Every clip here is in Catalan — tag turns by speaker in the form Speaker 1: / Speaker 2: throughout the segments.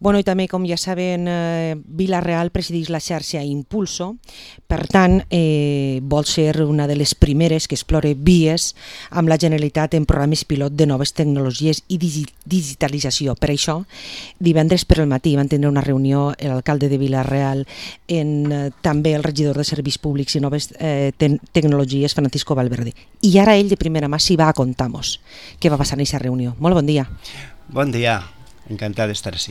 Speaker 1: Bueno, i també, com ja saben, Vila-real presideix la xarxa Impulso, per tant, vol ser una de les primeres que explore vies amb la Generalitat en programes pilot de noves tecnologies i digitalització. Per això, divendres per al matí van tenir una reunió l'alcalde de Vila-real també el regidor de Serveis Públics i Noves Tecnologies, Francisco Valverde. I ara ell de primera mà s'hi va a contar-nos què va passar en aquesta reunió. Molt bon dia.
Speaker 2: Bon dia. Encantat d'estar així.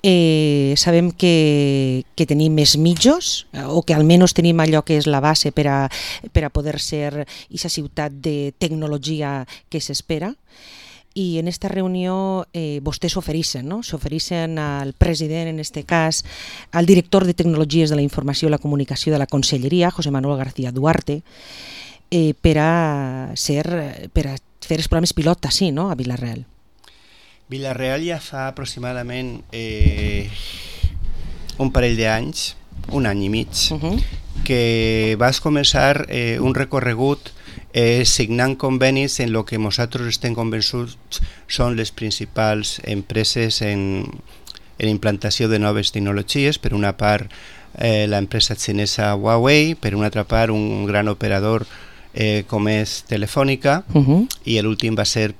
Speaker 1: Sabem que tenim més mitjos, o que almenys tenim allò que és la base per a poder ser aquesta ciutat de tecnologia que s'espera. I en aquesta reunió vostès s'ofereixen, no? S'ofereixen al president, en aquest cas, al director de Tecnologies de la Informació i la Comunicació de la Conselleria, José Manuel García Duarte, per a fer els programes pilot així, no?, a Vila-real.
Speaker 2: Vila-real ja fa aproximadament un parell d'anys, un any i mig, que vas començar un recorregut signant convenis en el que nosaltres estem convençuts són les principals empreses en implantació de noves tecnologies. Per una part, l'empresa xinesa Huawei, per una altra part, un gran operador com és Telefònica, i l'últim va ser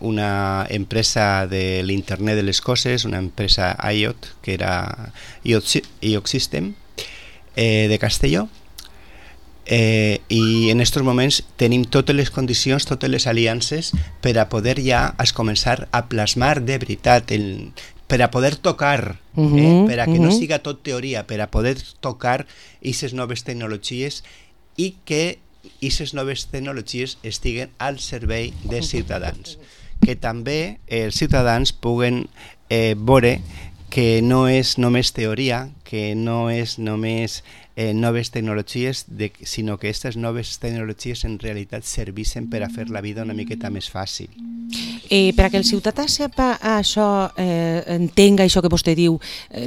Speaker 2: una empresa de l'internet de les coses, una empresa IoT, que era IoT System, de Castelló, i en aquests moments tenim totes les condicions, totes les aliances per a poder ja començar a plasmar de veritat, per a poder tocar, per a que no siga tot teoria, per a poder tocar aquestes noves tecnologies i que aquestes noves tecnologies estiguen al servei dels ciutadans, que també els ciutadans puguen veure que no és només teoria, que no és només noves tecnologies, sinó que aquestes noves tecnologies en realitat serveixen per a fer la vida una miqueta més fàcil.
Speaker 1: Per a que el ciutadà sepa això, entenga això que vostè diu,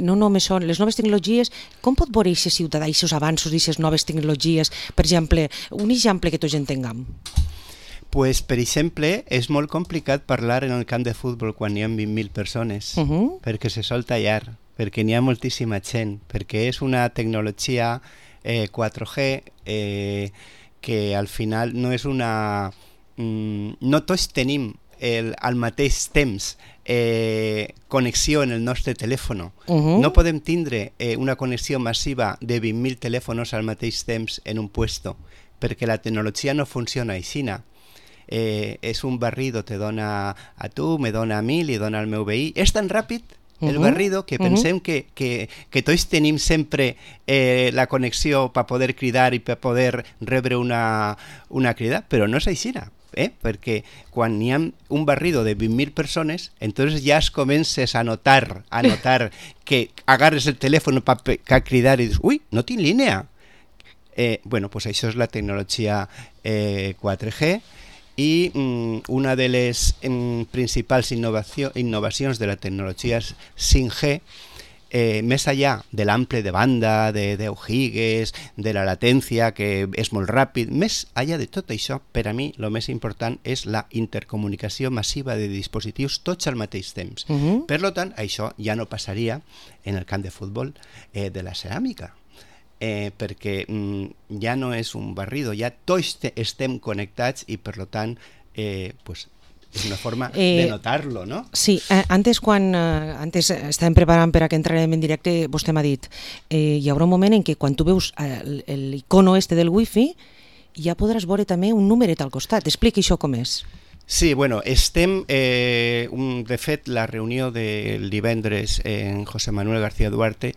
Speaker 1: no només són les noves tecnologies, com pot veure aquest ciutadà, aquests avanços d'aquestes noves tecnologies? Per exemple, un exemple que tots entenguem.
Speaker 2: Pues, per exemple, és molt complicat parlar en el camp de futbol quan hi ha 20.000 persones, perquè se sol tallar, perquè n'hi ha moltíssima gent, perquè és una tecnologia 4G que al final no és una... No tots tenim al mateix temps connexió en el nostre telèfon. No podem tindre una connexió massiva de 20.000 telèfons al mateix temps en un puesto, perquè la tecnologia no funciona així. És un barrido, te dona a tu, me dona a mi, li dona al meu veí. És tan ràpid el barrido que pensem que tots tenim sempre la connexió per poder cridar i per poder rebre una crida, però no és així, perquè quan hi ha un barrido de 20.000 persones, entonces ja es comences a notar que agarres el telèfon per cridar i dius, ui, no tinc línia. Bueno, pues això és la tecnologia 4G, i una de les principals innovacions de la tecnologia 5G, més allà de l'ample de banda, de 10 gigas, de la latència, que és molt ràpid, més allà de tot això, per a mi el més important és la intercomunicació massiva de dispositius tots al mateix temps. Per tant, això ja no passaria en el camp de futbol de la ceràmica, perquè ja no és un barrido, ja tots estem connectats i per tant és una forma de notar-lo, no?
Speaker 1: Sí, antes estàvem preparant per a que entrarem en directe, vostè m'ha dit hi haurà un moment en què quan tu veus l'icono del wifi ja podràs veure també un numeret al costat. Expliqui això com és.
Speaker 2: Sí, bueno, estem, de fet, la reunió del divendres en José Manuel García Duarte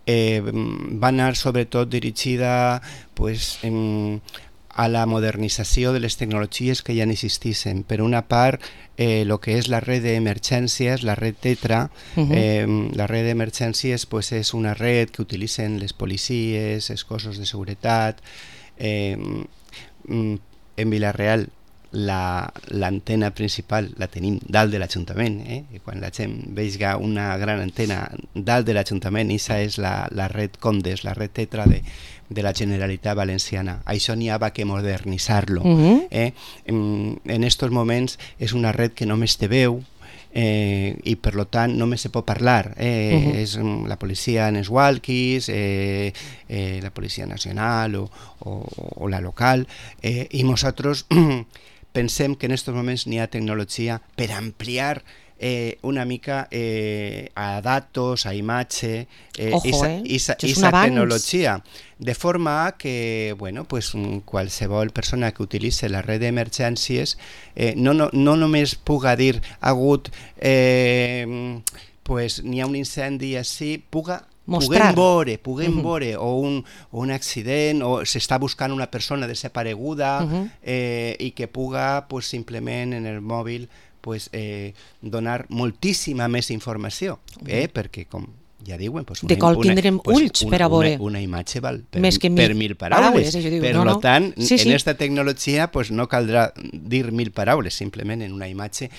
Speaker 2: va anar sobretot dirigida a la modernització de les tecnologies que ja existissin. Per una part, el que és la red d'emergències, la red Tetra. La red d'emergències és una red que utilitzen les policies, els cossos de seguretat. En Vila-real l'antena principal la tenim dalt de l'Ajuntament, i quan la gent vegi una gran antena dalt de l'Ajuntament, aquesta és la red Condes, la red Tetra de la Generalitat Valenciana. Això n'hi ha que modernitzar-lo. En aquests moments és una red que només té veu, i per tant només se pot parlar. És la policia en els walkies, la policia nacional o la local, i nosaltres pensem que en aquests moments n'hi ha tecnologia per ampliar una mica a datos, a imatge, esa tecnologia, de forma que pues, qualsevol persona que utilitzi la red d'emergències no només puga dir pues, n'hi ha un incendi així, puguem veure o un accident o s'està buscant una persona desapareguda i que puga pues, simplement en el mòbil pues, donar moltíssima més informació, perquè com ja diuen, pues
Speaker 1: de col tindrem ulls per a veure.
Speaker 2: Una imatge val per
Speaker 1: 1.000
Speaker 2: paraules.
Speaker 1: Per
Speaker 2: tant, en aquesta tecnologia pues, no caldrà dir 1.000 paraules, simplement en una imatge.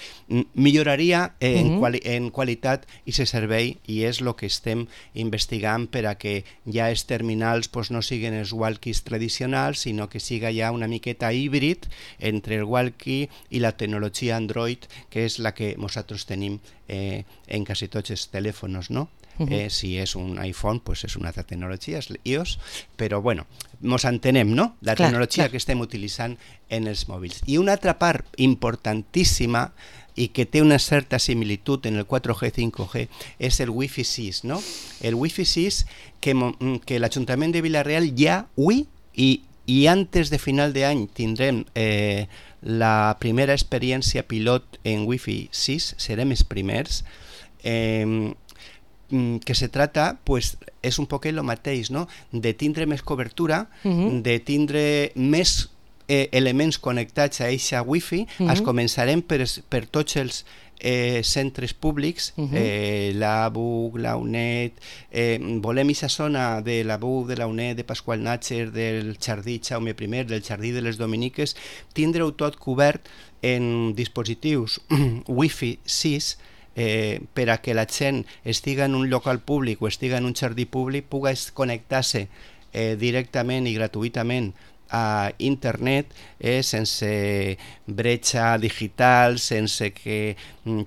Speaker 2: Milloraria en qualitat i se servei, i és el que estem investigant per a que ja els terminals pues, no siguin els walkies tradicionals, sinó que siga ja una miqueta híbrid entre el walkie i la tecnologia Android, que és la que nosaltres tenim en quasi tots els telèfons, no? Si és un iPhone, pues és una altra tecnologia, és iOS, però bueno, ens entenem, no? La tecnologia que estem utilitzant en els mòbils. I una altra part importantíssima i que té una certa similitud en el 4G, 5G, és el Wi-Fi 6, no? El Wi-Fi 6 que l'Ajuntament de Vila-real ja avui i antes de final d'any tindrem la primera experiència pilot en Wi-Fi 6, serem els primers, que se trata, pues, és un poquet el mateix, no? De tindre més cobertura, de tindre més elements connectats a eixa wifi. Es començarem per tots els centres públics, la BUC, la UNED, volem aquesta zona de la BUC, de la UNED, de Pasqual Natxer, del Jardí Jaume I, del Jardí de les Dominiques, tindre-ho tot cobert en dispositius Wi-Fi 6, per a que la gent estiga en un local públic o estiga en un jardí públic pugui connectar-se directament i gratuïtament a internet, sense bretxa digital, sense que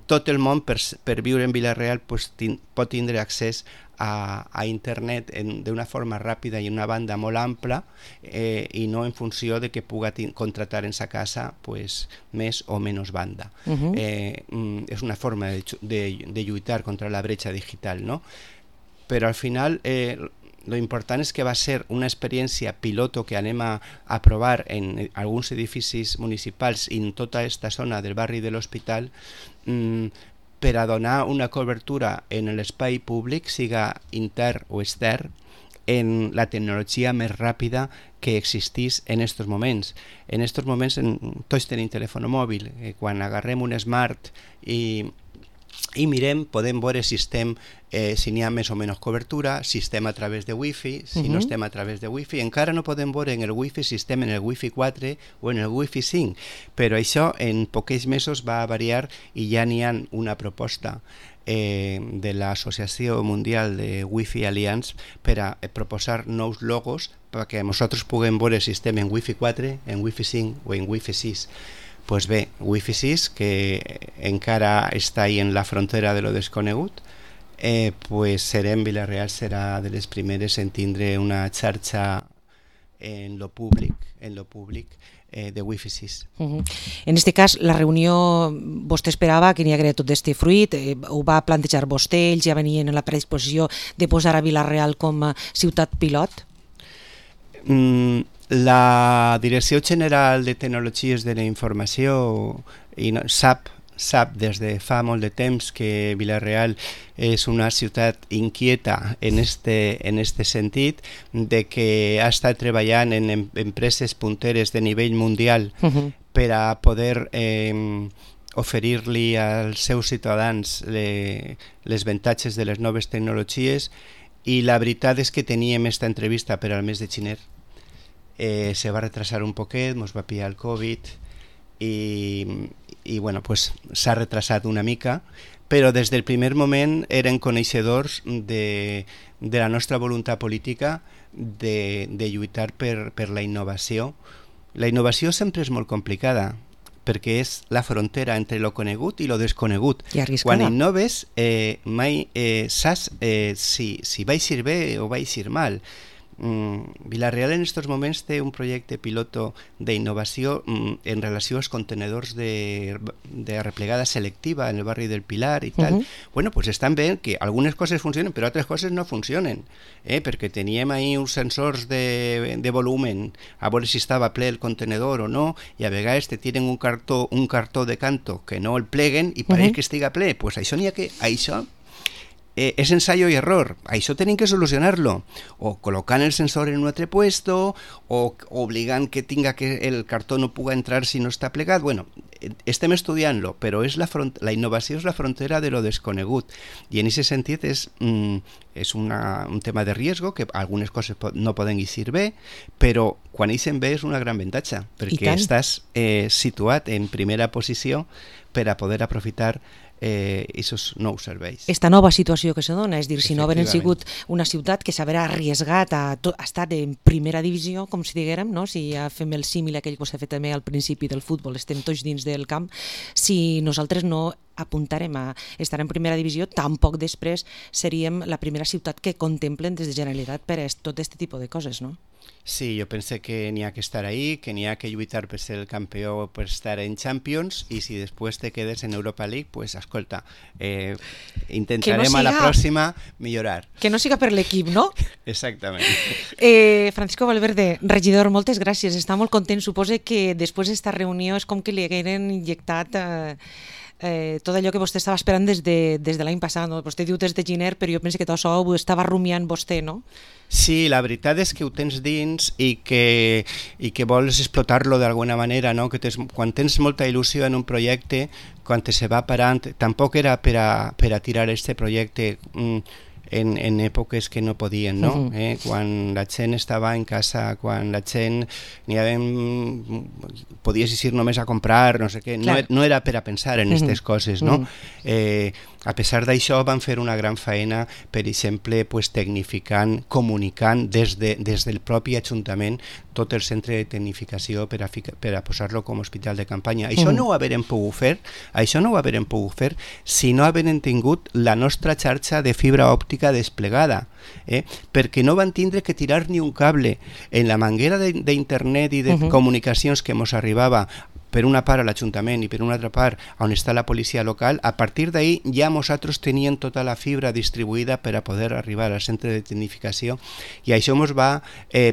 Speaker 2: tot el món per viure en Vila-real pues, pot tindre accés a internet d'una forma ràpida i una banda molt ampla, i no en funció de que puga contratar en sa casa pues, més o menys banda. És una forma de lluitar contra la bretxa digital, no? Però al final lo important és que va ser una experiència piloto que anem a provar en alguns edificis municipals i en tota aquesta zona del barri de l'Hospital, per a donar una cobertura en l'espai públic, siga intern o extern, en la tecnologia més ràpida que existís en aquests moments. En aquests moments tots tenim telèfon mòbil. Quan agarrem un smart i mirem, podem veure si n'hi ha més o menys cobertura, si estem a través de Wi-Fi, si no estem a través de Wi-Fi. Encara no podem veure en el Wi-Fi si estem en el Wi-Fi 4 o en el Wi-Fi 5, però això en pocs mesos va a variar i ja n'hi ha una proposta de l'Associació Mundial de Wi-Fi Alliance per a proposar nous logos perquè nosaltres puguem veure si estem en Wi-Fi 4, en Wi-Fi 5 o en Wi-Fi 6. Pues bé, Wi-Fi 6, que encara està ahí en la frontera de lo desconegut, pues Vila-real serà de les primeres en tindre una xarxa en lo públic de Wi-Fi 6.
Speaker 1: En aquest cas, la reunió, vostè esperava que n'hi hagués tot aquest fruit, ho va plantejar vostè, ells ja venien en la predisposició de posar a Vila-real com a ciutat pilot?
Speaker 2: La Direcció General de Tecnologies de la Informació sap des de fa molt de temps que Vila-real és una ciutat inquieta en este sentit, de que ha estat treballant en empreses punteres de nivell mundial per a poder oferir-li als seus ciutadans les avantatges de les noves tecnologies, i la veritat és que teníem esta entrevista per al mes de gener. Se va retrasar un poquet, ens va pillar el Covid i bueno, pues s'ha retrasat una mica, però des del primer moment eren coneixedors de la nostra voluntat política de lluitar per la innovació. La innovació sempre és molt complicada, perquè és la frontera entre lo conegut i lo desconegut.
Speaker 1: I arriscada.
Speaker 2: Quan innoves, mai saps si va eixir bé o va eixir mal. Vila-real en aquests moments té un projecte piloto d'innovació en relació als contenedors de replegada selectiva en el barri del Pilar i tal. Bueno, pues estan bé que algunes coses funcionen però altres coses no funcionen, perquè teníem ahí uns sensors de volumen a veure si estava ple el contenedor o no, i a vegades te tiren un cartó de canto que no el pleguen i pareix que estiga ple. Pues això n'hi ha que... Això és ensayo y error, això tenim que solucionar-lo, o col·locant el sensor en un altre puesto, o obligant que tinga que el cartó no puga entrar si no està plegat. Bueno, estem estudiant-lo, però la innovació és la frontera de lo desconegut, i en aquest sentit és un tema de riesgo, que algunes coses no poden eixir bé, però quan eixen bé és una gran avantatge, perquè estàs situat en primera posició per a poder aprofitar aquests nous serveis.
Speaker 1: Esta nova situació que se dona, és dir, si no hagueren sigut una ciutat que s'haurà arriesgat a estar en primera divisió, com si diguérem, no? Si ja fem el símil aquell que s'ha fet també al principi del futbol, estem tots dins del camp, si nosaltres no apuntarem a estar en primera divisió, tampoc després seríem la primera ciutat que contemplen des de Generalitat per a tot aquest tipus de coses, no?
Speaker 2: Sí, jo pense que n'hi ha que estar ahí, que n'hi ha que lluitar per ser el campió, per estar en Champions, i si després te quedes en Europa League, pues escolta, intentarem a la pròxima millorar.
Speaker 1: Que no siga per l'equip, no?
Speaker 2: Exactament.
Speaker 1: Francisco Valverde, regidor, moltes gràcies, està molt content. Suposo que després d'esta reunió és com que li hagueren injectat tot allò que vostè estava esperant des de l'any passat, no? Vostè diu des de gener, però jo penso que tot això ho estava rumiant vostè, no?
Speaker 2: Sí, la veritat és que ho tens dins i que vols explotar-lo d'alguna manera, no? Que quan tens molta il·lusió en un projecte, quan se va parant, tampoc era per a tirar este projecte en èpoques que no podien, no? Quan la gent estava en casa, quan la gent podies ir només a comprar, no sé què, no era per a pensar en aquestes coses, no? A pesar d'això van fer una gran feina, per exemple, tecnificant, comunicant des del propi Ajuntament tot el centre de tecnificació per a posar-lo com a hospital de campanya. Això no ho hagueren pogut fer si no hagueren tingut la nostra xarxa de fibra òptica desplegada, perquè no van tindre que tirar ni un cable. En la manguera d'internet i de comunicacions que ens arribava per una part a l'Ajuntament i per una altra part on està la policia local, a partir d'ahir ja nosaltres teníem tota la fibra distribuïda per a poder arribar al centre de tecnificació, i això ens va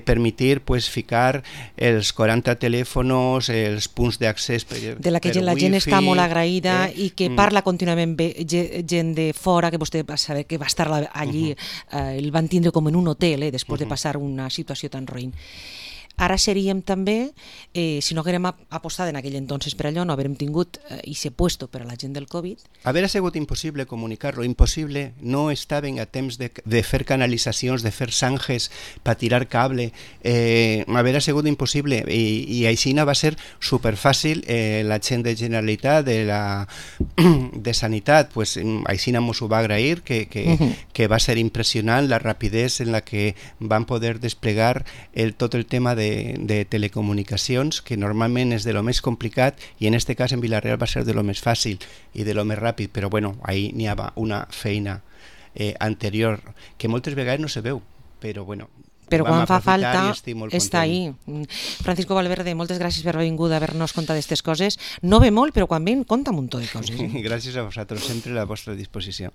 Speaker 2: permetre ficar els 40 telèfons, els punts d'accés
Speaker 1: de la que la gent està molt agraïda i que parla contínuament gent de fora, que vostè va saber que va estar allí, el van tindre com en un hotel després de passar una situació tan roïn. Ara seríem també, si no haguérem apostat en aquell entonces per allò, no haguérem tingut i ser puesto per a la gent del Covid.
Speaker 2: Haver sigut impossible comunicar-lo, impossible, no estaven a temps de fer canalitzacions, de fer zanjes per tirar cable, haver sigut impossible, i així va ser superfàcil. La gent de Generalitat, de Sanitat, així ens ho va agrair, que va ser impressionant la rapidesa en la que van poder desplegar tot el tema de telecomunicacions, que normalment és de lo més complicat, i en este cas en Vila-real va ser de lo més fàcil i de lo més ràpid, però bueno, ahí n'hi havia una feina anterior que moltes vegades no se veu, però bueno,
Speaker 1: però quan fa falta està ahí. Francisco Valverde, moltes gràcies per haver vingut a haver-nos contat d'aquestes coses. No ve molt, però quan ven, compta un muntó de coses.
Speaker 2: Gràcies a vosaltres, sempre a la vostra disposició.